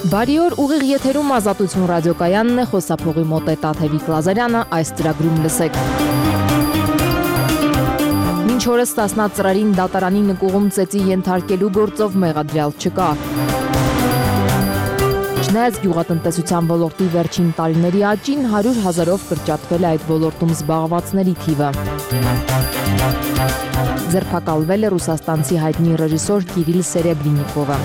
Բարի օր, ուղիղ եթերում Ազատություն ռադիոկայանն է, խոսափողի մոտ է Տաթևիկ Լազարյանը, այս ծրագրում լսեք։ Մինչ օրս Սասնա ծրարին դատարանի նկուղում ծեծի ենթարկելու գործով մեղադրյալ չկա։ Չնայած գյուղատնտեսության ոլորտի վերջին տարիների աճին 100,000-ով կրճատվել է այդ ոլորտում զբաղվածների թիվը։ Ձերբակալվել է ռուսաստանցի հայտնի ռեժիսոր Կիրիլ Սերեբրինիկովը։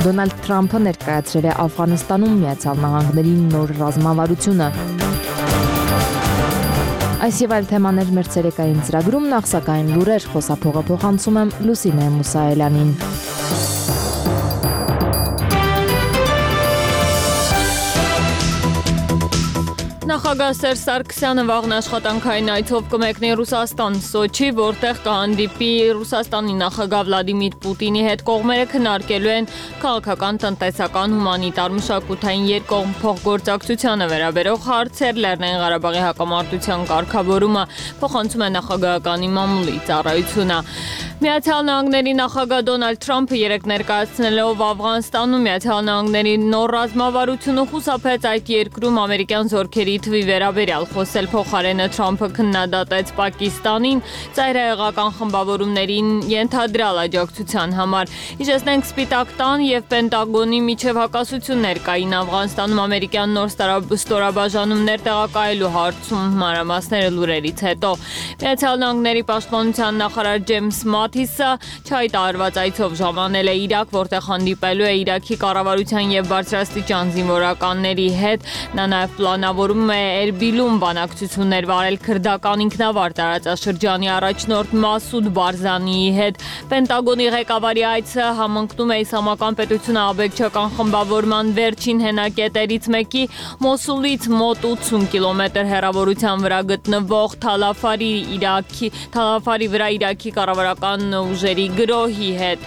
Դոնալդ Թրամփը ներկայացրել է Աֆղանստանում Միացյալ Նահանգների նոր ռազմավարությունը։ Այս եւ այլ թեմաներ մեր ցերեկային ծրագրում, նախ սակայն լուրեր, խոսափողը փոխանցում եմ Լուսինե Մուսայելյանին։ Նախագահ Սերժ Սարգսյանը վաղն աշխատանքային այցով կմեկնի Ռուսաստան, Սոչի, որտեղ կհանդիպի Ռուսաստանի նախագահ Վլադիմիր Պուտինի հետ։ Կողմերը քննարկելու են քաղաքական, տնտեսական, հումանիտար, մշակութային երկկողմ փոխգործակցությանը վերաբերող հարցեր, Լեռնային Ղարաբաղի հակամարտության կարգավորումը, փոխանցում է նախագահականի մամուլի ծառայությունը։ Միացյալ Նահանգների նախագահ Դոնալդ Թրամփը երեկ ներկայացնելով Աֆղանստանում Միացյալ Նահանգների նոր ռազմավարությունը խուսափեց այդ երկրում ամերիկյան զորքերի թվի վերաբերյալ խոսել փոխարենը Թրամփը քննադատեց Պակիստանին ծայրահեղական խմբավորումներին ենթադրյալ աջակցության համար։ Իջեցնենք Սպիտակ տան եւ Պենտագոնի միջև հակասություններ կային Աֆղանստանում ամերիկյան նոր ստորաբաժանումներ տեղակայելու հարցում մանրամասները լուրերից հետո։ Միացյալ Նահանգների պաշտպանության նախարար Ջեյմս Մաթիսը չհայտարարված այցով ժամանել է Իրաք, որտեղ հանդիպելու է Իրաքի կառավարության եւ բարձրաստիճան զինվորականների հետ։ Նա նաեւ պլանավորում է Էրբիլում բանակցություններ վարել քրդական ինքնավար տարածաշրջանի առաջնորդ Մասուդ Բարզանիի հետ։ Պենտագոնի ղեկավարի այցը համընկնում է Իսլամական պետությունը աբեկչական խմբավորման վերջին հենակետերից մեկի Մոսուլից մոտ 80 կիլոմետր հեռավորության վրա գտնվող Թալաֆարի վրա Իրաքի կառավարական ուժերի գրոհի հետ։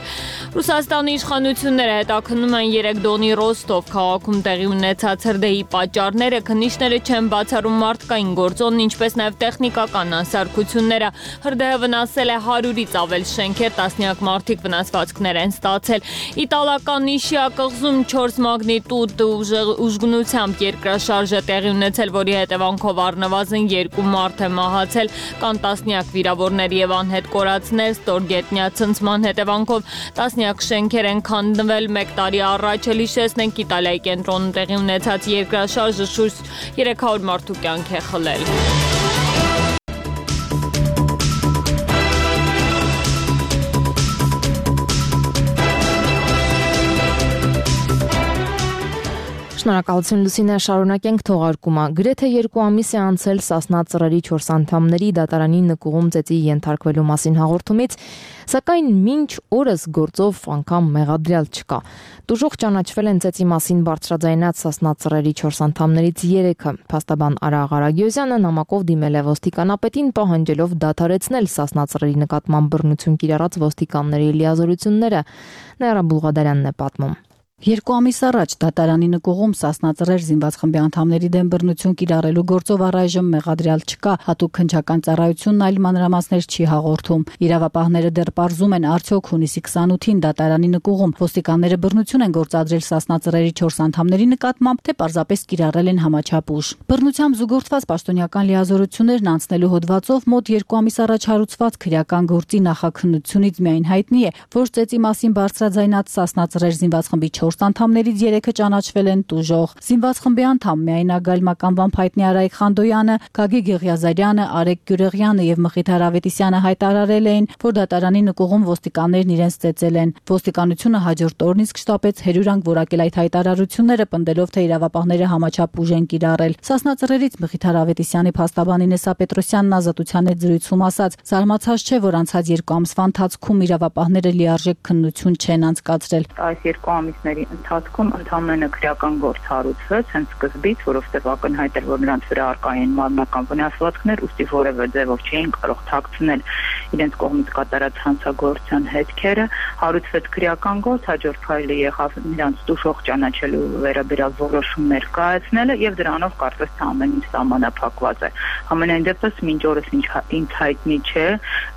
Ռուսաստանի իշխանությունները հետաքննում են 3 դոնի Ռոստով քաղաքում տեղի ունեցած հրդեհի պատճառները, քննիչները չեն բացառում մարդկային գործոնն, ինչպես նաև տեխնիկական անսարքությունները։ Հրդեհը վնասել է 100-ից ավել շենքեր, տասնյակ մարդիկ վնասվածքներ են ստացել։ Իտալական Նիշիա կղզում 4 մագնիտուդ ուժգնությամբ երկրաշարժ է տեղի ունեցել, որի հետևանքով առնվազն 2 մարդ է մահացել, կան տասնյակ վիրավորներ եւ անհետ կորածներ, ստորգետնյա ցնցման հետևանքով տասնյակ շենքեր են քանդվել 1 տարի առաջ։ Հիշեցնենք Իտալիայի կենտրոնում տեղի ունեցած երկրաշարժը շուրջ 300 մարդու կյանք է խլել։ Շնորհակալություն Լուսինե, շարունակենք թողարկումը։ Գրեթե 2 ամիս է անցել Սասնա ծրարի 4 անդամների դատարանի նկուղում ծեծի ենթարկվելու մասին հաղորդումից, սակայն մինչ օրս գործով անգամ մեղադրյալ չկա։ Դժոխք ճանաչվել են ծեծի մասին բարձրաձայնած Սասնա ծրարի 4 անդամներից 3-ը։ Փաստաբան Արա Ղարագյոզյանը նամակով դիմել է ոստիկանապետին, պահանջելով դադարեցնել Սասնա ծրարի նկատմամբ բռնություն կիրառած ոստիկանների լիազորությունները։ Նաիրա Բուլղադարյանն է պատմում։ 2 ամիս առաջ դատարանի նկուղում Սասնա ծրեր զինված խմբի անդամների դեմ բռնություն կիրառելու գործով առայժմ մեղադրյալ չկա, հատուկ քննչական ծառայությունն այլ մանրամասներ չի հաղորդում։ Իրավապահները դեռ պարզում են, արդյոք հունիսի 28-ին դատարանի նկուղում ոստիկանները բռնություն են գործադրել Սասնա ծրերի 4 անդամների նկատմամբ, թե պարզապես կիրառել են համաչափ ուժ։ Բռնությամբ զուգորդված պաշտոնյական լիազորություններն անցնելու հոդվածով մոտ 2 ամիս առաջ հարուցված քրեական գործի նախաքննությունից միայն հայտնի է, որ ծեծի մասին բարձրաձայնած Սասնա ծրեր զինված խմբի 4 անդամներից 3-ը ճանաչվել են տուժող։ Զինված խմբի անդամ միայնագալ մականվամբ հայտնի Արայիկ Խանդոյանը, Գագիկ Եղիազարյանը, Արեգ Գյուրեղյանը եւ Մխիթար Ավետիսյանը հայտարարել էին, որ դատարանի նկուղում ոստիկաններն իրենց ծեծել են։ Ոստիկանությունը հաջորդ օրն իսկ շտապեց հերյուրանք որակել այդ հայտարարությունները, պնդելով, թե իրավապահները համաչափ ուժ են կիրառել։ Սասնա ծրերից Մխիթար Ավետիսյանի փաստաբան Ինեսա Պետրոսյանն Ազատության հետ զրույցում ասաց. «Զարմացած չէ, որ անցած 2 ամսվա ընթացքում իրավապահները լիարժեք քննություն չեն անցկացրել։ Այս 2 ամիսների ընթացքում ընդհանրապես քրեական գործ հարուցվեց հենց սկզբից, որովհետև ակնհայտ էր, որ նրանց վրա առկա են մարմնական վնասվածքներ, ուստի որևէ ձևով չէին կարող թաքցնել իրենց կողմից կատարած հանցագործության հետքերը, հարուցվեց քրեական գործ, հաջորդ քայլը եղավ նրանց տուժող ճանաչելու վերաբերյալ որոշումներ կայացնելը եւ դրանով կարծես թե ամեն ինչ սահմանափակված է։ Համենայն դեպս մինչ օրս ինձ հայտնի չէ,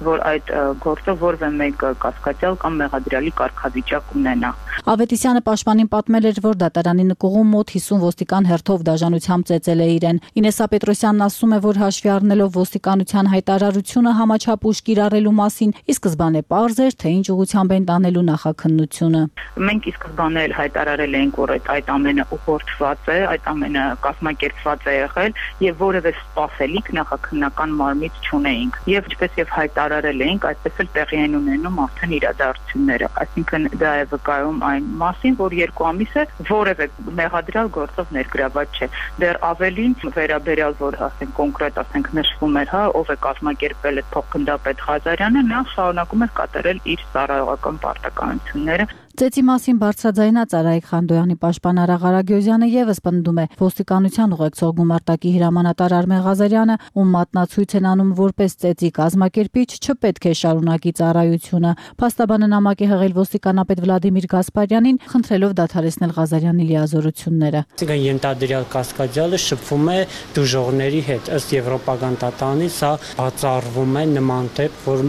որ այդ գործը որևէ մեկ կասկածյալ կամ մեղադրյալի կարգավիճակ ունենա։ Ավետիսյանը պաշտպանին պատմել էր, որ դատարանի նկուղում մոտ 50 ոստիկան հերթով դաժանությամբ ծեծել է իրեն։ Ինեսա Պետրոսյանն ասում է, որ հաշվի առնելով ոստիկանության հայտարարությունը համաչափ ուժ կիրառելու մասին, ի սկզբանե պարզ էր, թե ինչ ուղղությամբ են տանելու նախաքննությունը։ Մենք ի սկզբանե հայտարարել էինք, որ այդ ամենը ուղղորդված է, այդ ամենը կազմակերպված է եղել եւ որևէ սպասելիք նախաքննական մարմից չունեինք։ Եվ ինչպես եւ հայտարարել էինք, այդպես էլ տեղի են ունենում արդեն իրադարձությունները։ Այսինքն դա է վկայում այն մասին, որ 2 ամիս է որևէ մեղադրյալ գործով ներգրաված չէ։ Դեռ ավելին վերաբերյալ, որ ասենք կոնկրետ ասենք նշվում էր, ով է կազմակերպել այդ փոխգնդապետ Ղազարյանը, նա շարունակում է կատարել իր ծառայողական պարտականությունները։ Ծեծի մասին բարձրաձայնած Արայիկ Խանդոյանի պաշտպան Արա Ղարագյոզյանը եւս պնդում է, ոստիկանության ուղեկցող գումարտակի հրամանատար Արմեն Ղազարյանը, ում մատնացույց են անում որպես ծեծի կազմակերպիչ, չպետք է շարունակի ծառայությունը։ Փաստաբանը նամակ է հղել ոստիկանապետ Վլադիմիր Գասպարյանին, խնդրելով դադարեցնել Ղազարյանի լիազորությունները։ Այսինքն ենթադրյալ կասկադյալը շփվում է դժողների հետ, ըստ եվրոպական տատանի, սա բացառվում է նման դեպք, որ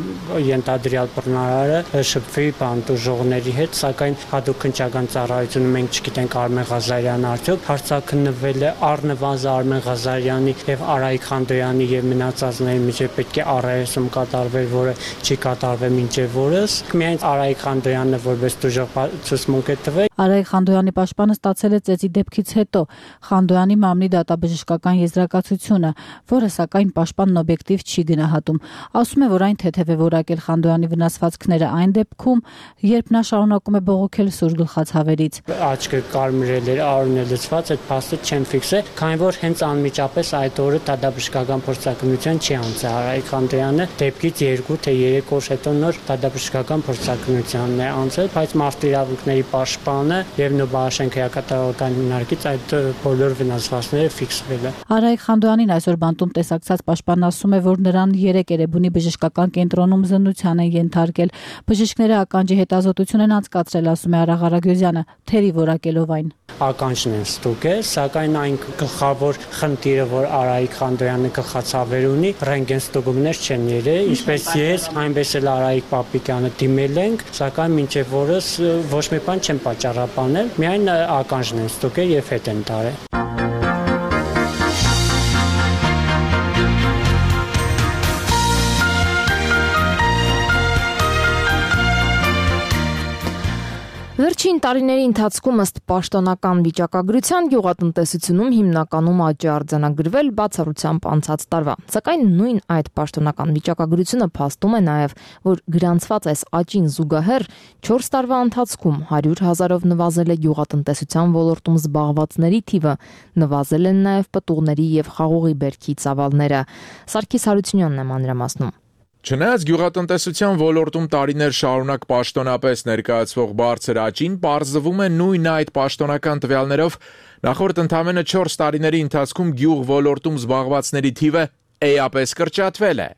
ենթադրյալ բռնարարը շփվի դժողների հետ, սակայն հատուկ քննչական ծառայությունը մենք չգիտենք Արմեն Ղազարյանը արդյոք հարցաքննվել է առնվազն Արմեն Ղազարյանի եւ Արայիկ Խանդոյանի եւ մնացածների միջեւ պետք է առայսում կատարվեր, որը չի կատարվել մինչեւ օրս։ Միայն Արայիկ Խանդոյանը որպես դժող ցուցմունք է տվել։ Արայիկ Խանդոյանի պաշտպանը ստացել է ծեծի դեպքից հետո Խանդոյանի մամլի դատաբժշկական եզրակացությունը, որը սակայն պաշտպանն օբյեկտիվ չի գնահատում։ Ասում է, որ այն թեթև է որակել Խանդոյանի վնասվածքները այն դեպքում, երբ նա շարունակում է բողոքել սուր գլխացավերից։ Աչքը կարմրել էր, արունը լցված, այդ փաստը չեն ֆիքսել, քանի որ հենց անմիջապես այդ օրը դատաբժշկական փորձակնության չի անցել Արայիկ Խանդոյանը, դեպքից 2 թե 3 օր հետո նոր դատաբժշկական փորձակնությանն է անցել, բայց մարդու իրավունքների պաշտպանը եւ Նոբաշենկոյի կատարողական հիմնարկից այդ բոլոր վնասվածքները ֆիքսվել է։ Արայիկ Խանդոյանին այսօր բանտում տեսակցած պաշտպանն ասում է, որ նրան 3 Էրեբունի բժշկական կենտրոնում զննության են ենթարկել։ Բժիշկները ականջի հետազոտություն են անցկացրել, ասում է Արա Ղարագյոզյանը, թերի որակելով այն։ Ականջն են ստուգել, սակայն այն գլխավոր խնդիրը, որ Արայիկ Խանդոյանը գլխացավեր ունի, ռենտգեն ստուգումներ չեն եղել, ինչպես ես, այնպես էլ Արայիկ Պապիկյանը դիմել ենք, սակայն մինչև օրս ոչ մի բան չեն պատճառաբանել, միայն ականջն են ստուգել եւ հետ են տարել։ Վերջին տարիների ընթացքում ըստ պաշտոնական վիճակագրության գյուղատնտեսությունում հիմնականում աճ է արձանագրվել բացառությամբ անցած տարվա։ Սակայն նույն այդ պաշտոնական վիճակագրությունը փաստում է նաև, որ գրանցված այս աճին զուգահեռ 4 տարվա ընթացքում 100,000-ով նվազել է գյուղատնտեսության ոլորտում զբաղվածների թիվը, նվազել են նաև պտուղների եւ խաղողի բերքի ծավալները։ Սարգիս Հարությունյանն է մանրամասնում։ Չնայած գյուղատնտեսության ոլորտում տարիներ շարունակ պաշտոնապես ներկայացվող բարձր աճին, պարզվում է նույն այդ պաշտոնական տվյալներով նախորդ ընդամենը 4 տարիների ընթացքում գյուղ ոլորտում զբաղվածների թիվը էապես կրճատվել է։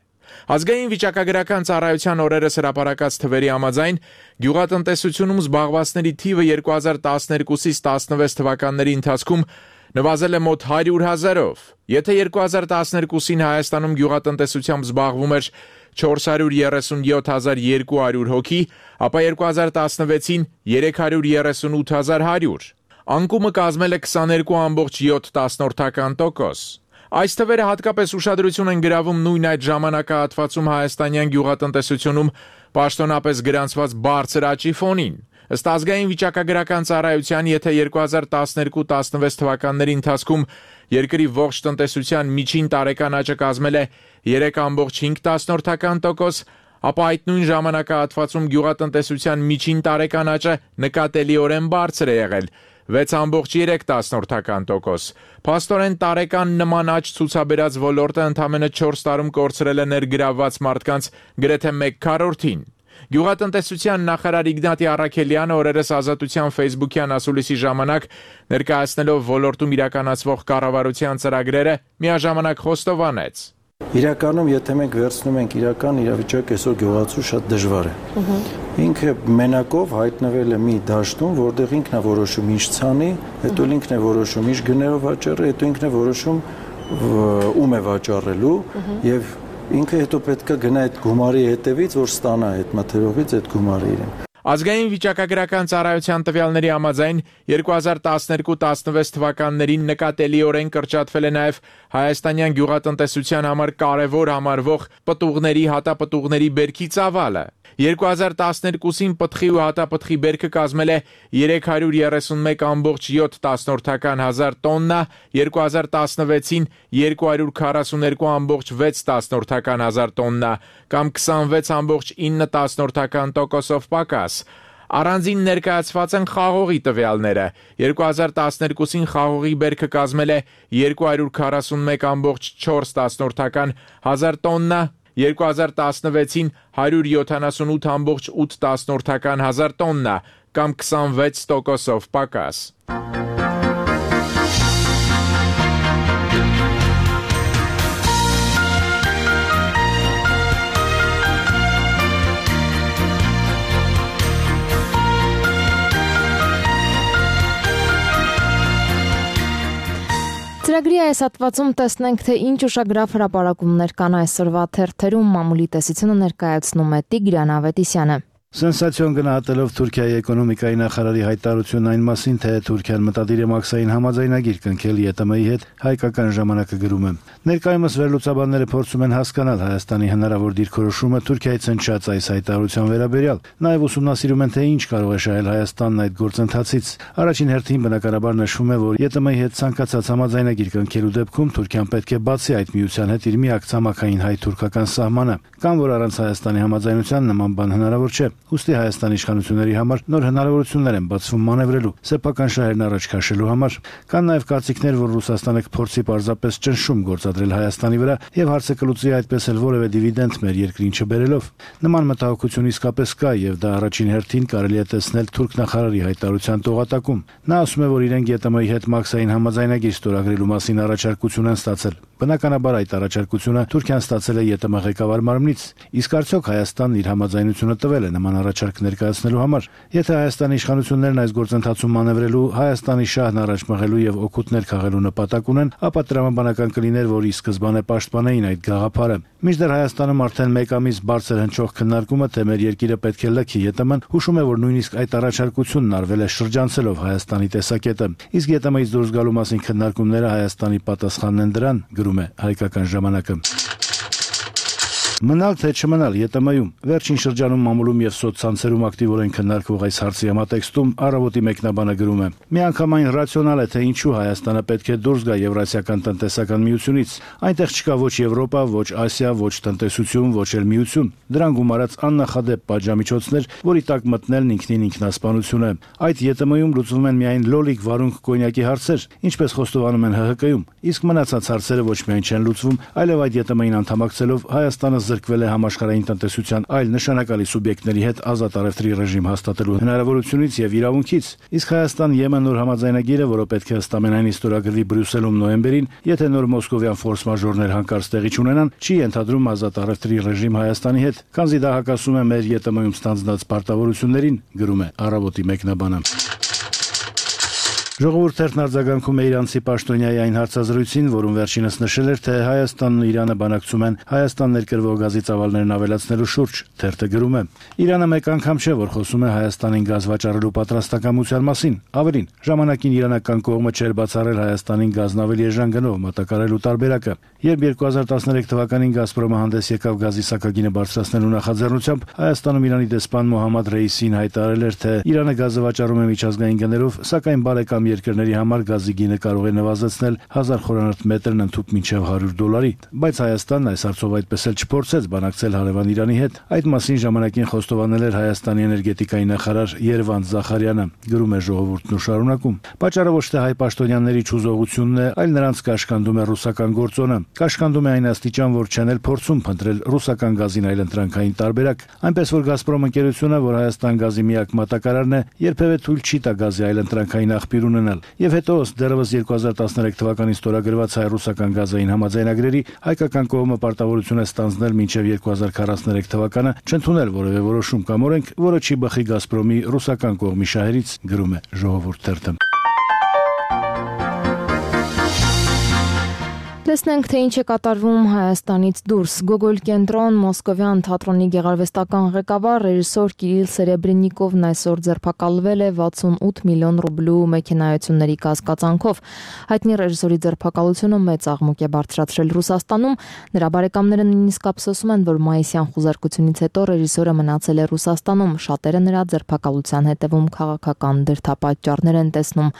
Ազգային վիճակագրական ծառայության օրերս հրապարակած թվերի համաձայն գյուղատնտեսությունում զբաղվածների թիվը 2012-ից 16 թվականների ընթացքում նվազել է մոտ 100,000-ով։ Եթե 2012-ին Հայաստանում գյուղատնտեսությամբ զբաղվում էր 437,200 հոգի, ապա 2016-ին 338,100։ Անկումը կազմել է 22,7%։ Այս թվերը հատկապես ուշադրություն են գրավում նույն այդ ժամանակահատվածում հայաստանյան գյուղատնտեսությունում պաշտոնապես գրանցված բարձր աճի ֆոնին։ Ըստ ազգային վիճակագրական ծառայության, եթե 2012-16 թվականների ընթացքում երկրի ողջ տնտեսության միջին տարեկան աճը կազմել է 3,5%, ապա այդ նույն ժամանակահատվածում գյուղատնտեսության միջին տարեկան աճը նկատելիորեն բարձր է եղել 6,3%։ Փաստորեն տարեկան նման աճ ցուցաբերած ոլորտը ընդամենը 4 տարում կորցրել է ներգրավված մարդկանց գրեթե 1/4-ին։ Գյուղատնտեսության նախարար Իգնատի Առաքելյանը օրերս Ազատության Facebook-յան ասուլիսի ժամանակ ներկայացնելով ոլորտում իրականացվող կառավարության ծրագրերը միաժամանակ խոստովանեց. Իրականում, եթե մենք վերցնում ենք իրական իրավիճակը, այսօր գյուղացու շատ դժվար է։ Ինքը մենակով հայտնվել է մի դաշտում, որտեղ ինքն է որոշում ինչ ցանի, հետո ինքն է որոշում ինչ գներով վաճառի, հետո ինքն է որոշում ում է վաճառելու եւ ինքը հետո պետք է գնա այդ գումարի հետևից, որ ստանա այդ մթերողից այդ գումարը իրեն։ Ազգային վիճակագրական ծառայության տվյալների համաձայն 2012-16 թվականներին նկատելիորեն կրճատվել է նաև հայաստանյան գյուղատնտեսության համար կարևոր համարվող պտուղների, հատապտուղների բերքի ծավալը։ 2012-ին պտղի ու հատապտղի բերքը կազմել է 331.7 հազար տոննա, 2016-ին 242.6 հազար տոննա, կամ 26.9% պակաս։ Առանձին ներկայացված են խաղողի տվյալները։ 2012-ին խաղողի բերքը կազմել է 241.4 հազար տոննա, 2016-ին 178.8 հազար տոննա, կամ 26% պակաս։ Ծրագրի այս հատվածում տեսնենք, թե ինչ ուշագրավ հրապարակումներ կան այսօրվա թերթերում, մամուլի տեսությունը ներկայացնում է Տիգրան Ավետիսյանը։ Սենսացիոն գնահատելով Թուրքիայի էկոնոմիկայի նախարարի հայտարարությունն այն մասին, թե Թուրքիան մտադիր է մաքսային համաձայնագիր կնքել ԵՏՄ-ի հետ, հայկական ժամանակը գրում է. Ներկայումս վերլուծաբանները փորձում են հասկանալ Հայաստանի հնարավոր դիրքորոշումը Թուրքիայից հնչած այս հայտարարության վերաբերյալ, նաև ուսումնասիրում են, թե ինչ կարող է շահել Հայաստանն այդ գործընթացից։ Առաջին հերթին բնականաբար նշվում է, որ ԵՏՄ-ի հետ ցանկացած համաձայնագիր կնքելու դեպքում Թուրքիան պետք է բացի այդ միության հետ իր միակ ցամաքային հայ-թուրքական սահմանը, կամ որ առանց Հայաստանի համաձայնության նման բան հնարավոր չէ։ Ուստի Հայաստանի իշխանությունների համար նոր հնարավորություններ են բացվում մանևրելու, սեփական շահերն առաջ քաշելու համար։ Կան նաև կարծիքներ, որ Ռուսաստանը կփորձի պարզապես ճնշում գործադրել Հայաստանի վրա եւ հարցը կլուծի այդպես էլ որևէ դիվիդենդ մեր երկրին չբերելով։ Նման մտահոգություն իսկապես կա եւ դա առաջին հերթին կարելի է տեսնել թուրք նախարարի հայտարարության տողատակում։ Նա ասում է, որ իրենք ԵՏՄ-ի հետ մաքսային համաձայնագիր ստորագրելու մասին առաջարկություն են ստացել։ Բնականաբար այդ առաջարկությունը Թուրքիան ստացել է ԵՏՄ ղեկավար մարմնից, իսկ արդյոք Հայաստանն իր համաձայնությունը տվել է նման առաջարկ ներկայացնելու համար։ Եթե Հայաստանի իշխանություններն այս գործընթացում մանևրելու, Հայաստանի շահն առաջ մղելու եւ օգուտներ քաղելու նպատակ ունեն, ապա տրամաբանական կլիներ, որ ի սկզբանե պաշտպանեին այդ գաղափարը։ Մինչդեռ Հայաստանում արդեն մեկ ամիս բարձր հնչող քննարկումը, թե մեր երկիրը պետք է լքի ԵՏՄ-ն, հուշում է, որ նույնիսկ այդ առաջարկությունն արվել է շրջանցելով Հայաստանի տեսակետը։ Իսկ ԵՏՄ-ից դուրս գալու մասին քննարկումները Հայաստանի պատասխանն են դրան, գրում է Հայկական ժամանակը։ Մնալ թե չմնալ ԵՏՄ-ում վերջին շրջանում մամուլում եւ սոցցանցերում ակտիվորեն քննարկվող այս հարցի համատեքստում Առավոտի մեկնաբանը գրում է. միանգամայն ռացիոնալ է, թե ինչու Հայաստանը պետք է դուրս գա Եվրասիական տնտեսական միությունից։ Այնտեղ չկա ոչ Եվրոպա, ոչ Ասիա, ոչ տնտեսություն, ոչ էլ միություն։ Դրան գումարած աննախադեպ պատժամիջոցներ, որի տակ մտնելն ինքնին ինքնասպանություն է։ Այդ ԵՏՄ-ում լուծվում են միայն լոլիկ վարունգ կոնյակի հարցեր, ինչպես խոստովանում են ՀՀԿ-ում, իսկ մնացած հարցերը ոչ միայն չեն լուծվում, այլև այդ ԵՏՄ-ին անդամակցելով Հայաստանը զրկվել է համաշխարհային տնտեսության այլ նշանակալի սուբյեկտների հետ ազատ առևտրի ռեժիմ հաստատելու հնարավորությունից եւ իրավունքից։ Իսկ Հայաստան-Եմեն նոր համաձայնագիրը, որը պետք է ըստ ամենայնի ստորագրվի Բրյուսելում նոյեմբերին, եթե նոր մոսկովյան ֆորս մաժորներ հանկարծ տեղի չունենան, չի ենթադրում ազատ առևտրի ռեժիմ Հայաստանի հետ, քանզի դա հակասում է մեր ԵՏՄ-ում ստանձնած պարտավորություններին, գրում է Առավոտի մեկնաբանը։ Ժողովուրդ թերթն արձագանքում է իրանցի պաշտոնյայի այն հարցազրույցին, որում վերջինս նշել էր, թե Հայաստանն ու Իրանը բանակցում են Հայաստան ներկրվող գազի ծավալներն ավելացնելու շուրջ։ Թերթը գրում է. Իրանը մեկ անգամ չէ, որ խոսում է Հայաստանին գազ վաճառելու պատրաստակամության մասին։ Ավելին, ժամանակին իրանական կողմը չէր բացառել Հայաստանին գազն ավելի էժան գնով մատակարարելու տարբերակը։ Երբ 2013 թվականին Գազպրոմը հանդես եկավ գազի սակագինը բարձրացնելու նախաձեռնությամբ, Հայաստանում Իրանի դեսպան Մոհամմադ Ռեյիսին հայտարարել էր, թե Իրանը գազը վաճառում է միջազգային գներով, սակայն բարեկամ երկրների համար գազի գինը կարող է նվազեցնել 1000 խորանարդ մետրն ընդհուպ մինչև $100, բայց Հայաստանն այս հարցով այդպես էլ չփորձեց բանակցել հարևան Իրանի հետ։ Այդ մասին ժամանակին խոստովանել էր Հայաստանի էներգետիկայի նախարար Երվանդ Զախարյանը, գրում է Ժողովուրդն ու շարունակում. Պաճառը ոչ թե հայ պաշտոնյաների չուզողությունն է, այլ նրանց կաշկանդում է ռուսական գործոնը։ Կաշկանդում է այն աստիճան, որ չեն էլ փորձում փնտրել ռուսական գազին այլընտրանքային տարբերակ, այնպես որ Գազպրոմ ընկերությունը, որ Հայաստան գազի միակ մատակարարն է, երբևէ թույլ չի տա գազի այլընտրանքային աղբյուր ունենալ։ Եվ հետո դեռևս 2013 թվականին ստորագրված հայ-ռուսական գազային համաձայնագրերի հայկական կողմը պարտավորություն է ստանձնել մինչև 2043 թվականը չընդունել որևէ որոշում կամ օրենք, որը չի բխի Գազպրոմի ռուսական կողմի շահերից, գրում է Ժողովուրդ թերթը։ Տեսնենք, թե ինչ է կատարվում Հայաստանից դուրս։ Գոգոլ կենտրոն Մոսկովյան թատրոնի գեղարվեստական ղեկավար ռեժիսոր Կիրիլ Սերեբրենիկովն այսօր ձերբակալվել է 68 միլիոն ռուբլու մեքենայությունների կասկածանքով։ Հայտնի ռեժիսորի ձերբակալությունը մեծ աղմուկ է բարձրացրել Ռուսաստանում։ Նրա բարեկամները նույնիսկ ափսոսում են, որ մայիսյան խուզարկությունից հետո ռեժիսորը մնացել է Ռուսաստանում։ Շատերը նրա ձերբակալության հետևում քաղաքական դրդապատճառներ են տեսնում։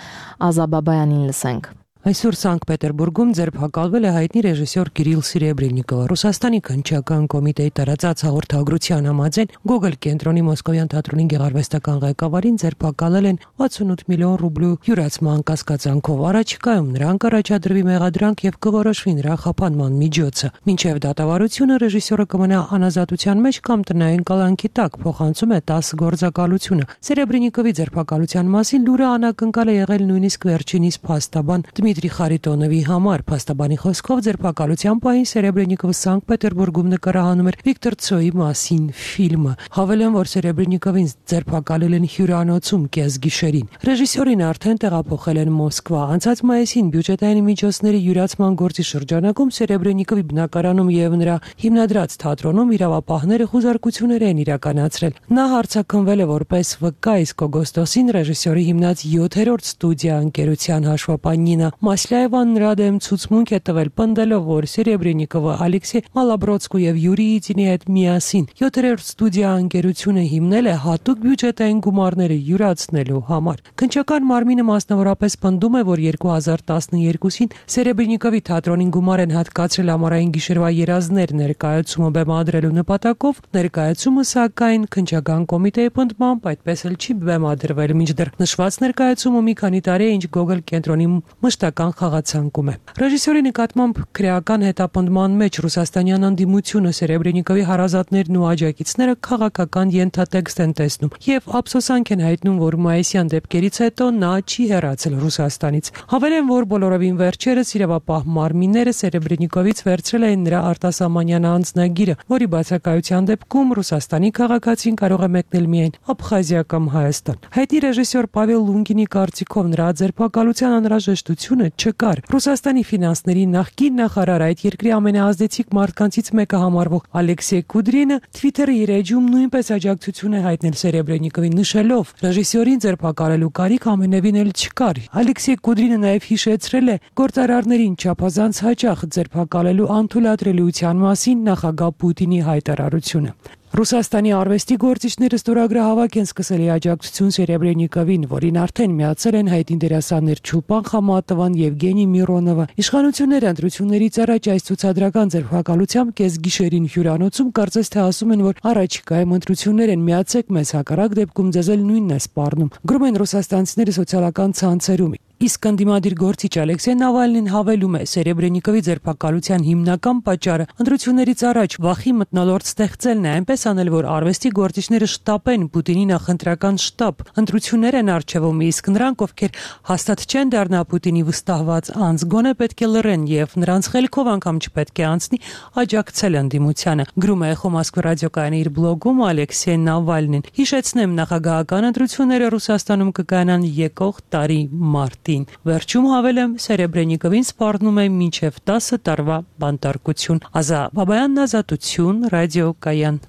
Ազաբաբայանին լսենք։ Այսօր Սանկտ Պետերբուրգում ձերբակալվել է հայտնի ռեժիսոր Կիրիլ Սերեբրենիկովը։ Ռուսաստանի քննչական կոմիտեի տարածած հաղորդագրության համաձայն Գոգոլ կենտրոնի Մոսկովյան թատրոնի գեղարվեստական ղեկավարին ձերբակալել են 68 միլիոն ռուբլու յուրացման կասկածանքով։ Առաջիկայում նրան կառաջադրվի մեղադրանք եւ կորոշվի նրա խափանման միջոցը։ Մինչեւ դատավարությունը ռեժիսորը կմնա անազատության մեջ կամ տնային կալանքի տակ, փոխանցում է 10 գործակալությունը։ Սերեբրենիկովի ձերբակալության մասին լուրը անակնկալ է եղել նույնիսկ վերջինիս փաստաբան Դմիտրի Խարիտոնովի համար։ Փաստաբանի խոսքով ձերբակալության պահին Սերեբրենիկովը Սանկտ Պետերբուրգում նկարահանում էր Վիկտոր Ցոյի մասին ֆիլմը։ Հավելեմ, որ Սերեբրենիկովին ձերբակալել են հյուրանոցում կեսգիշերին։ Ռեժիսորին արդեն տեղափոխել են Մոսկվա։ Անցած մայիսին բյուջետային միջոցների յուրացման գործի շրջանակում Սերեբրենիկովի բնակարանում եւ նրա հիմնադրած թատրոնում իրավապահները խուզարկություններ են իրականացրել։ Նա հարցաքննվել է որպես վկա, իսկ օգոստոսին ռեժիսորի հիմնած 7-րդ ստուդիա ընկերության հաշվապահ Նինա Մասլաևան նրա դեմ ցուցմունք է տվել, պնդելով, որ Սերեբրենիկովը Ալեքսեյ Մալաբրոցկու եւ Յուրի Իծինի հետ միասին 7-րդ ստուդիա ընկերությունը հիմնել է հատուկ բյուջետային գումարները յուրացնելու համար։ Քննչական մարմինը մասնավորապես պնդում է, որ 2012-ին Սերեբրենիկովի թատրոնին գումար են հատկացրել ամառային գիշերվա երազներ ներկայացումը բեմադրելու նպատակով։ Ներկայացումը, սակայն, քննչական կոմիտեի պնդմամբ այդպես էլ չի բեմադրվել, մինչդեռ նշված ներկայացումը մի քանի տարի է, ինչ Գոգոլ կենտրոնի մշտական խաղացանկում է։ Ռեժիսորի նկատմամբ քրեական հետապնդման մեջ ռուսաստանյան անդիմությունը Սերեբրենիկովի հարազատներն ու աջակիցները քաղաքական ենթատեքստ են տեսնում եւ ափսոսանք են հայտնում, որ մայիսյան դեպքերից հետո նա չի հեռացել Ռուսաստանից։ Հավելեմ, որ բոլորովին վերջերս իրավապահ մարմինները Սերեբրենիկովից վերցրել էին նրա արտասահմանյան անձնագիրը, որի բացակայության դեպքում Ռուսաստանի քաղաքացին կարող է մեկնել միայն Աբխազիա կամ Հայաստան։ Հայտնի ռեժիսոր Պավել Լունգինի կարծիքով նրա ձերբակալության անհրաժեշտությունը չկար։ Ռուսաստանի ֆինանսների նախկին նախարար, այդ երկրի ամենաազդեցիկ մարդկանցից մեկը համարվող Ալեքսեյ Կուդրինը Twitter-ի իր էջում նույնպես աջակցություն է հայտնել Սերեբրենիկովին, նշելով. ռեժիսորին ձերբակալելու կարիք ամենևին էլ չկար։ Ալեքսեյ Կուդրինը նաև հիշեցրել է գործարարներին չափազանց հաճախ ձերբակալելու անթույլատրելիության մասին նախագահ Պուտինի հայտարարությունը։ Ռուսաստանի արվեստի գործիչները ստորագրահավաք են սկսել աջակցություն Սերեբրենիկովին, որին արդեն միացել են հայտնի դերասաններ Չուլպան Խամատովան, Եվգենի Միրոնովը։ Իշխանությունները ընտրություններից առաջ այս ցուցադրական ձերբակալությամբ կեսգիշերին հյուրանոցում կարծես թե ասում են, որ առաջիկայում ընտրություններ են, միացեք մեզ, հակառակ դեպքում ձեզ էլ նույնն է սպառնում։ Գրում են ռուսաստանցիները սոցիալական ցանցերում։ Իսկ ընդդիմադիր գործիչ Ալեքսեյ Նավալնին հավելում է, Սերեբրենիկովի ձերբակալության հիմնական պատճառը ընտրություններից առաջ վախի մթնոլորտ ստեղծելն է, այնպես անել, որ արվեստի գործիչները շտապեն Պուտինի նախընտրական շտաբ, ընտրություններ են առջևում, իսկ նրանք, ովքեր հաստատ չեն դառնա Պուտինի վստահված անձ, գոնե պետք է լռեն եւ նրանց խելքով անգամ չպետք է անցնի աջակցել ընդդիմությանը։ Գրում է Էխո Մոսկվա ռադիոկայանի իր բլոգում Ալեքսեյ Նավալնին։ Հիշեցնեմ, նախագահական ընտրությունները Ռուսաստանում կկայանան եկող տարի մարտին։ Վերջում հավելեմ, Սերեբրենիկովին սպառնում է մինչև 10 տարվա բանտարկություն։ Ազաբաբայանն, Ազատություն, ռադիոկայան։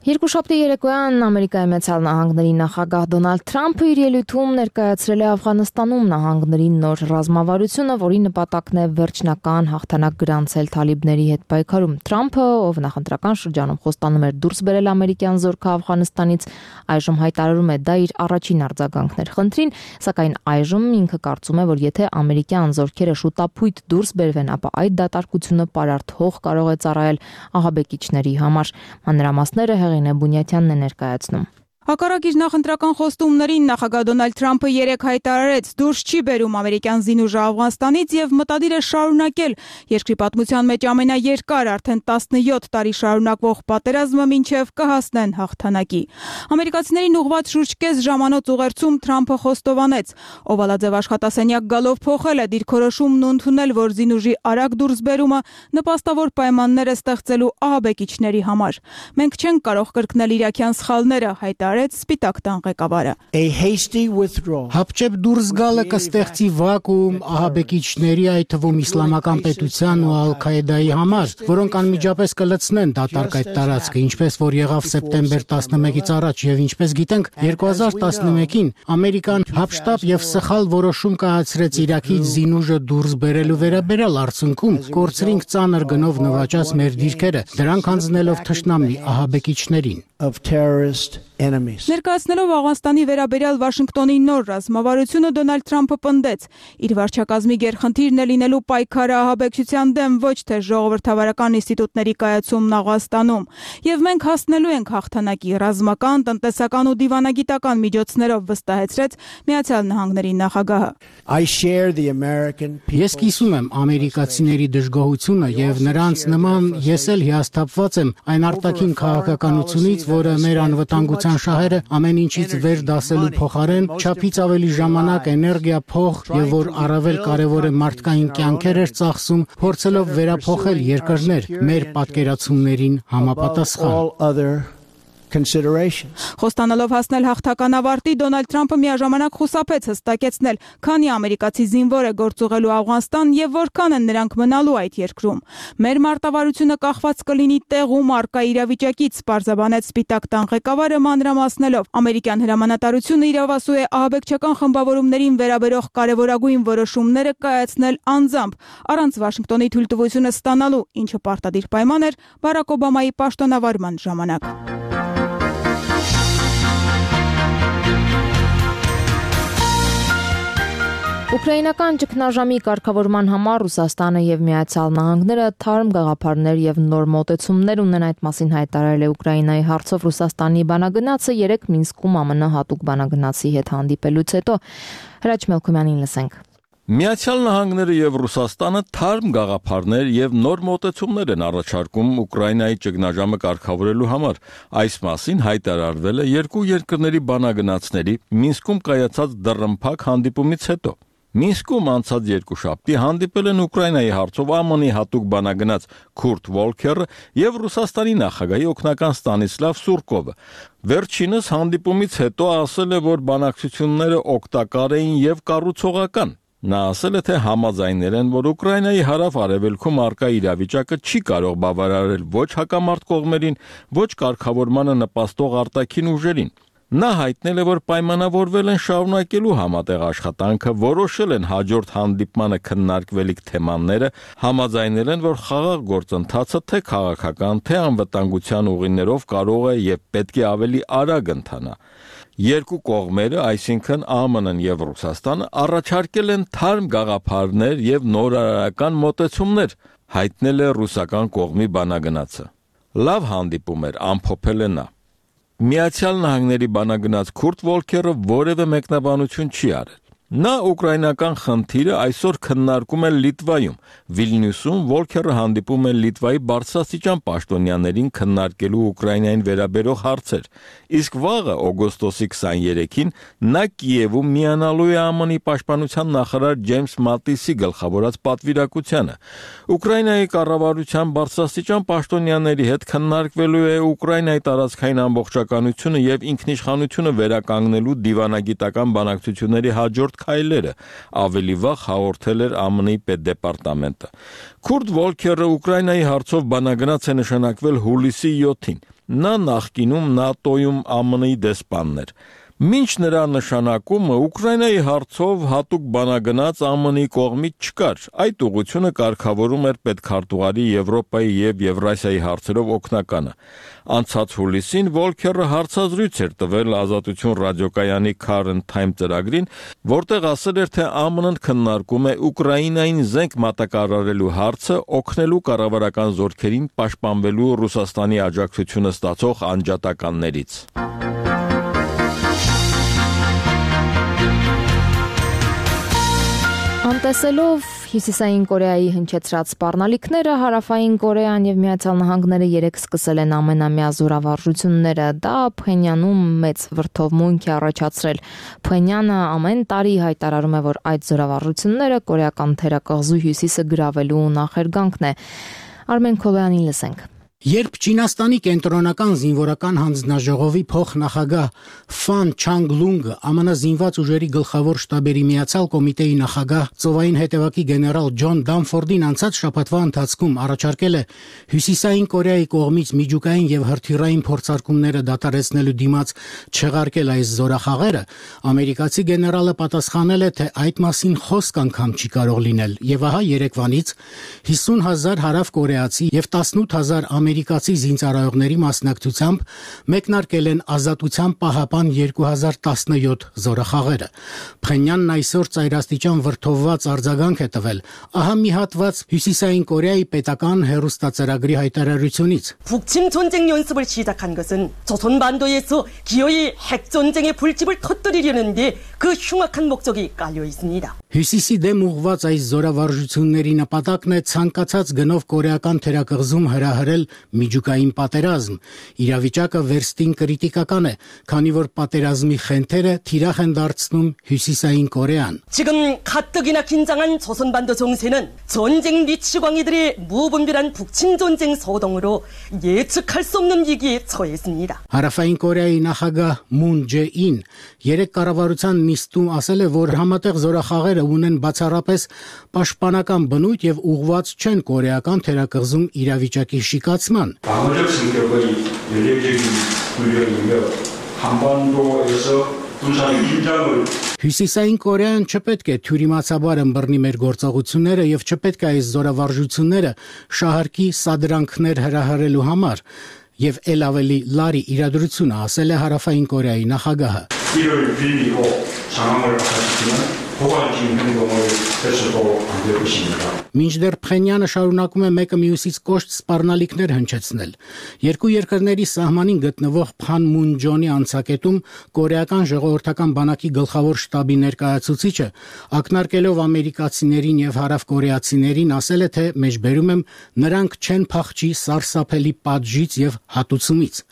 Երկուշաբթի երեկոյան Ամերիկայի Մեծալ Նահանգների նախագահ Դոնալդ Թրամփը իր ելույթում ներկայացրել է Աֆղանստանում նահանգների նոր ռազմավարությունը, որի նպատակն է վերջնական հաղթանակ գրանցել թալիբների հետ պայքարում։ Թրամփը, ով նախընտրական շրջանում խոստանում էր դուրս բերել ամերիկյան զորքը Աֆղանստանից, այժմ հայտարարում է դա իր առաջին արձագանքն էր խնդրին, սակայն այժմ ինքը կարծում է, որ եթե ամերիկյան զորքերը շուտապույտ դուրս բերվեն, ապա այդ դատարկությունը պարարտ հող կարող է ծառայել ահաբեկիչների համար։ Մանրամասները Հեղինե Բունյատյանն է ներկայացնում։ Հակառակ իր նախընտրական խոստումներին նախագահ Դոնալդ Թրամփը երեկ հայտարարեց, դուրս չի բերում ամերիկյան զինուժը Աֆղանստանից եւ մտադիր է շարունակել երկրի պատմության մեջ ամենաերկար արդեն 17 տարի շարունակվող պատերազմը, մինչեւ կհասնեն հաղթանակի։ Ամերիկացիներին ուղղված շուրջ կես ժամանոց ուղերձում Թրամփը խոստովանեց, օվալաձև աշխատասենյակ գալով փոխել է դիրքորոշումն ու ընդունել, որ զինուժի արագ դուրսբերումը նպաստավոր պայմաններ է ստեղծելու ահաբեկիչների համար։ Մենք չենք կարող կրկնել իրաքյան սխալները, հայտարարեց հայտարարեց Սպիտակ տան ղեկավարը։ Հապճեպ դուրս գալը կստեղծի վակուում ահաբեկիչների, այդ թվում իսլամական պետության ու Ալ-Քաիդայի համար, որոնք անմիջապես կլցնեն դատարկ այդ տարածքը, ինչպես որ եղավ սեպտեմբեր 11-ից առաջ, եւ ինչպես գիտենք, 2011-ին Ամերիկան հապշտապ եւ սխալ որոշում կայացրեց Իրաքից զինուժը դուրս բերելու վերաբերյալ արդյունքում կորցրինք ծանր գնով նվաճած մեր դիրքերը, դրանք հանձնելով թշնամի ահաբեկիչներին։ Ներկայացնելով Աֆղանստանի վերաբերյալ Վաշինգտոնի նոր ռազմավարությունը Դոնալդ Թրամփը պնդեց. իր վարչակազմի գերխնդիրն է լինելու պայքարը ահաբեկչության դեմ, ոչ թե ժողովրդավարական ինստիտուտների կայացումն Աֆղանստանում, եւ մենք հասնելու ենք հաղթանակի ռազմական, տնտեսական ու դիվանագիտական միջոցներով, վստահեցրեց Միացյալ Նահանգների նախագահը։ Ես կիսում եմ ամերիկացիների դժգոհությունը եւ նրանց նման ես էլ հիասթափված եմ այն արտաքին քաղաքականությունից, որը մեր անվտանգության շահերը ամեն ինչից վեր դասելու փոխարեն չափից ավելի ժամանակ, էներգիա, փող եւ որ առավել կարեւոր է մարդկային կյանքեր էր ծախսում, փորձելով վերափոխել երկրներ մեր պատկերացումներին համապատասխան։ Խոստանալով հասնել հաղթական ավարտի, Դոնալդ Թրամփը միաժամանակ խուսափեց հստակեցնել, քանի ամերիկացի զինվոր է գործուղելու Աֆղանստան եւ որքան են նրանք մնալու այդ երկրում։ Մեր մարտավարությունը կախված կլինի տեղում առկա իրավիճակից, պարզաբանեց Սպիտակ տան ղեկավարը մանրամասնելով։ Ամերիկյան հրամանատարությունը իրավասու է ահաբեկչական խմբավորումներին վերաբերող կարևորագույն որոշումները կայացնել անձամբ, առանց Վաշինգտոնի թույլտվությունը ստանալու, ինչը պարտադիր պայման էր Բարաք Օբամայի պաշտոնավարման ժամանակ։ Ուկրաինական ճգնաժամի կարգավորման համար Ռուսաստանը եւ Միացյալ Նահանգները թարմ գաղափարներ եւ նոր մոտեցումներ ունեն, այդ մասին հայտարարել է Ուկրաինայի հարցով Ռուսաստանի բանագնացը 3 Մինսկում ԱՄՆ հատուկ բանագնացի հետ հանդիպելուց հետո։ Հրաչ Մելքոմյանին լսենք։ Միացյալ Նահանգները եւ Ռուսաստանը թարմ գաղափարներ եւ նոր մոտեցումներ են առաջարկում Ուկրաինայի ճգնաժամը կարգավորելու համար։ Այս մասին հայտարարվել է երկու երկրների բանագնացների Մինսկում կայացած դռնփակ հանդիպումից հետո։ Մինսկում անցած երկուշաբթի հանդիպել են Ուկրաինայի հարցով ԱՄՆ-ի հատուկ բանագնաց Քուրտ Վոլքերը եւ Ռուսաստանի նախագահի օգնական Ստանիսլավ Սուրկովը։ Վերջինս հանդիպումից հետո ասել է, որ բանակցությունները օգտակար էին եւ կառուցողական։ Նա ասել է, թե համաձայնել են, որ Ուկրաինայի հարավ-արևելքում առկա իրավիճակը չի կարող բավարարել ոչ հակամարտ կողմերին, ոչ կարգավորմանը նպաստող արտաքին ուժերին։ Նա հայտնել է, որ պայմանավորվել են շարունակելու համատեղ աշխատանքը, որոշել են հաջորդ հանդիպմանը քննարկվելիք թեմաները, համաձայնել են, որ խաղաղ գործընթացը թե քաղաքական, թե անվտանգության ուղիներով կարող է եւ պետք է ավելի արագ ընթանա։ Երկու կողմերը, այսինքն ԱՄՆ-ն եւ Ռուսաստանը, առաջարկել են թարմ գաղափարներ եւ նորարարական մոտեցումներ, հայտնել է ռուսական կողմի բանագնացը։ Լավ հանդիպում էր, ամփոփել է նա։ Միացյալ Նահանգների բանագնաց Քուրտ Վոլքերը որևէ մեկնաբանություն չի արել։ Նա ուկրաինական խնդիրը այսօր քննարկում է Լիտվայում։ Վիլնյուսում Վոլքերը հանդիպում է Լիտվայի բարձրաստիճան պաշտոնյաներին քննարկելու Ուկրաինային վերաբերող հարցեր։ Իսկ վաղը օգոստոսի 23-ին նա Կիևում միանալու է ԱՄՆ-ի պաշտպանության նախարար Ջեյմս Մատիսի գլխավորած պատվիրակությանը։ Ուկրաինայի կառավարության բարձրաստիճան պաշտոնյաների հետ քննարկվելու է Ուկրաինայի տարածքային ամբողջականությունը եւ ինքնիշխանությունը վերականգնելու դիվանագիտական բանակցությունների հաջորդ քայլերը, ավելի վաղ հաղորդել էր ԱՄՆ-ի պետդեպարտամենտը։ Քուրտ Վոլքերը Ուկրաինայի հարցով բանագնաց է նշանակվել հուլիսի 7-ին։ Նա նախկինում ՆԱՏՕ-ում ԱՄՆ-ի դեսպանն էր։ Մինչ նրա նշանակումը Ուկրաինայի հարցով հատուկ բանագնաց ԱՄՆ-ի կողմից չկար։ Այդ ուղղությունը կարգավորում էր պետքարտուղարի Եվրոպայի եւ Եվրասիայի հարցերով օգնականը։ Անցած հուլիսին Վոլքերը հարցազրույց էր տվել Ազատություն ռադիոկայանի Current Time ծրագրին, որտեղ ասել էր, թե ԱՄՆ-ն քննարկում է Ուկրաինային զենք մատակարարելու հարցը, օգնելու կառավարական զորքերին պաշտպանվելու Ռուսաստանի աջակցությունը ստացող անջատականներից։ Անտեսելով Հյուսիսային Կորեայի հնչեցրած սպառնալիքները, Հարավային Կորեան եւ Միացյալ Նահանգները երեկ սկսել են ամենամյա զորավարժությունները։ Դա Փենյանում մեծ վրդովմունք է առաջացրել։ Փենյանը ամեն տարի հայտարարում է, որ այդ զորավարժությունները կորեական թերակղզու հյուսիսը գրավելու նախերգանքն է։ Արմեն Քոլյանին լսենք։ Երբ Չինաստանի կենտրոնական զինվորական հանձնաժողովի փոխնախագահ Ֆան Չանգլունգը ԱՄՆ զինված ուժերի գլխավոր շտաբերի միացյալ կոմիտեի նախագահ ծովային հետևակի գեներալ Ջոն Դամֆորդին անցած շաբաթվա ընթացքում առաջարկել է Հյուսիսային Կորեայի կողմից միջուկային եւ հրթիռային փորձարկումները դադարեցնելու դիմաց չեղարկել այս զորախաղերը, ամերիկացի գեներալը պատասխանել է, թե այդ մասին խոսք անգամ չի կարող լինել, եւ ահա երեկվանից 50,000 հարավկորեացի եւ 18,000 ամերիկացի զինծառայողների մասնակցությամբ մեկնարկել են Ազատության պահապան 2017 զորախաղերը։ Փխենյանն այսօր ծայրաստիճան վրդովված արձագանք է տվել, ահա մի հատված Հյուսիսային Կորեայի պետական հեռուստածրագրի հայտարարությունից։ 북침 전쟁 연습을 시작한 것은 조선반도에서 기어이 핵 전쟁의 불집을 터뜨리려는 데 그 흉악한 목적이 깔려 있습니다. Հյուսիսի դեմ ուղղված այս զորավարժությունների նպատակն է ցանկացած գնով կորեական թերակղզում հրահրել միջուկային պատերազմ։ Իրավիճակը վերստին կրիտիկական է, քանի որ պատերազմի խնդիրը թիրախ են դարձնում Հյուսիսային Կորեան։ 지금 가뜩이나 긴장한 조선반도 정세는 전쟁 미치광이들의 무분별한 북침 전쟁 소동으로 예측할 수 없는 위기에 처했습니다. Հարավային Կորեայի նախագահ Մուն Ջե-ին երեք կառավարության նիստում ասել է, որ համատեղ զորախաղերը ունեն բացառապես պաշտպանական բնույթ եւ ուղղված չեն կորեական թերակղզում իրավիճակի շիկացման։ 방어적 성격의 연례적인 훈련이며 한반도에서 군사의 긴장을 Հյուսիսային Կորեան չպետք է թյուրիմացաբար ըմբռնի մեր գործողությունները եւ չպետք է այս զորավարժությունները շահարկի սադրանքներ հրահրելու համար եւ ել ավելի լարի իրադրությունը, ասել է Հարավային Կորեայի նախագահը։ 이를 빌리고 상황을 악화시키는 고관심 행동을 해서도 안 될 것입니다. Մինչդեռ Փխենյանը շարունակում է մեկը մյուսից կոշտ սպառնալիքներ հնչեցնել։ Երկու երկրների սահմանին գտնվող Փանմունջոնի անցակետում կորեական ժողովրդական բանակի գլխավոր շտաբի ներկայացուցիչը ակնարկելով ամերիկացիներին եւ հարավկորեացիներին ասել է, թե մեջբերում եմ նրանք չեն փախչի սարսափելի պատժից եւ հատուցումից։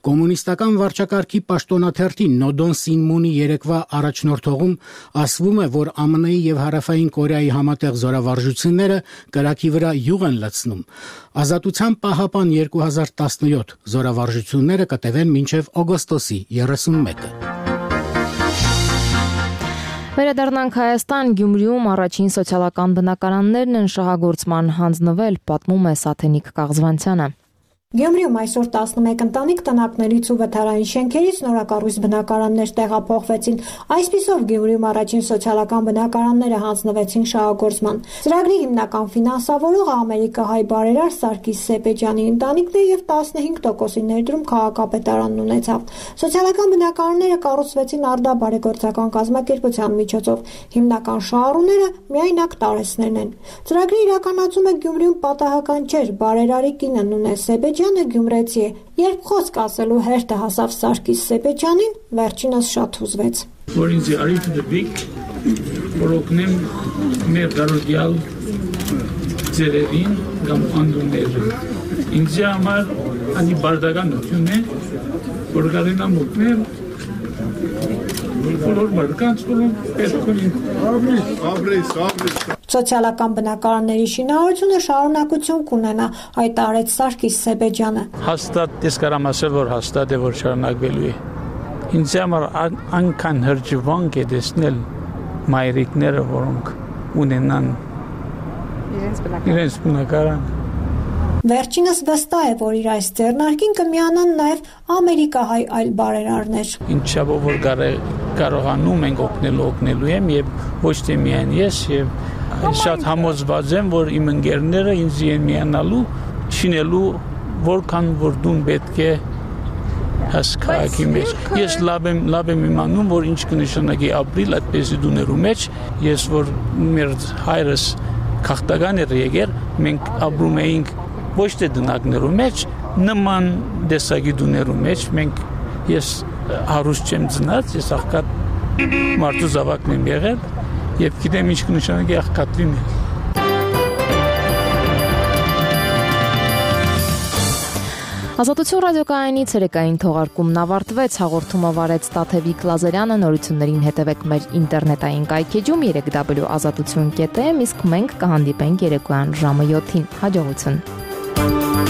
Կոմունիստական վարչակարգի պաշտոնաթերթի Նոդոն Սինմունի երեկվա առաջնորդողում ասվում է, որ ԱՄՆ-ի եւ Հարավային Կորեայի համատեղ զորավարժությունները կրակի վրա յուղ են լցնում։ Ազատության պահապան 2017 զորավարժությունները կտևեն մինչև օգոստոսի 31-ը։ Վերադառնանք Հայաստան, Գյումրիում առաջին սոցիալական բնակարաններն են շահագործման հանձնվել, պատմում է Սաթենիկ Կաղզվանցյանը։ Գյումրիում այսօր 11 ընտանիք տնակներից ու վթարային շենքերից նորակառույց բնակարաններ տեղափոխվեցին։ Այսպիսով Գյումրիում առաջին սոցիալական բնակարանները հանձնվեցին շահագործման։ Ծրագրի հիմնական ֆինանսավորողը ամերիկահայ բարերար Սարգիս Սեպեջյանի ընտանիքն է եւ 15%-ի ներդրում քաղաքապետարանն ունեցավ։ Սոցիալական բնակարանները կառուցվեցին Արդա բարեգործական կազմակերպության միջոցով։ Հիմնական շահառուները միայնակ տարեցներն են։ Ծրագրի իրականացումը Գյումրիում պատահական չէր։ Բարերարի կինը Նունե Սեպեջյանը գյումրեցի է։ Երբ խոսք ասելու հերթը հասավ Սարգիս Սեպեջյանին, վերջինս շատ հուզվեց։ Որ ինձ արիթ դեպիկ, որ օգնեմ մեր դարոդյալ ձերերին կամ անդունները։ Ինձ համար անի բարդականություն է, որ կարենամ օգնել Սոցիալական բնակարանների շինարարությունը շարունակություն կունենա, հայտարարեց Սարգիս Սեպեջյանը։ Հաստատ ես կարամ ասել, որ հաստատ է, որ շարունակվելու է։ Ինձ համար անկան հրճվանք է տեսնել մայրիկները, որոնք ունենան իրենց բնակարան։ Վերջինս վստահ է, որ իր այս ձեռնարկին կմիանան նաև ամերիկահայ այլ բարերարներ։ Ինչաբով որ կարողանում ենք օգնելու եմ եւ ոչ թե միայն ես եւ շատ համոզված եմ, որ իմ ընկերները ինձ են միանալու, չինելու որքան որ դուն պետք է հասկացի մեջ։ Ես լավ եմ իմանում, որ ինչ կնշանակի ապրիլ այդպեսի դուներու մեջ, ես որ մեր հայրս քաղաքական էր եկել, մենք ապրում էինք ոչ թե դնակներու մեջ, նման դեսագի դուներու մեջ, ես հարուստ չեմ ծնած, ես աղքատ մարդու զավակն եմ եղել եւ գիտեմ ինչ կնշանակի աղքատվի մեջ։ Ազատություն ռադիոկայանի ցերեկային թողարկումն ավարտվեց, հաղորդումը վարեց Տաթևիկ Լազարյանը, նորություններին հետևեք մեր ինտերնետային կայքեջում www.azatutun.am, իսկ մենք կհանդիպենք երեկոյան ժամը 7-ին։ Հաջողություն։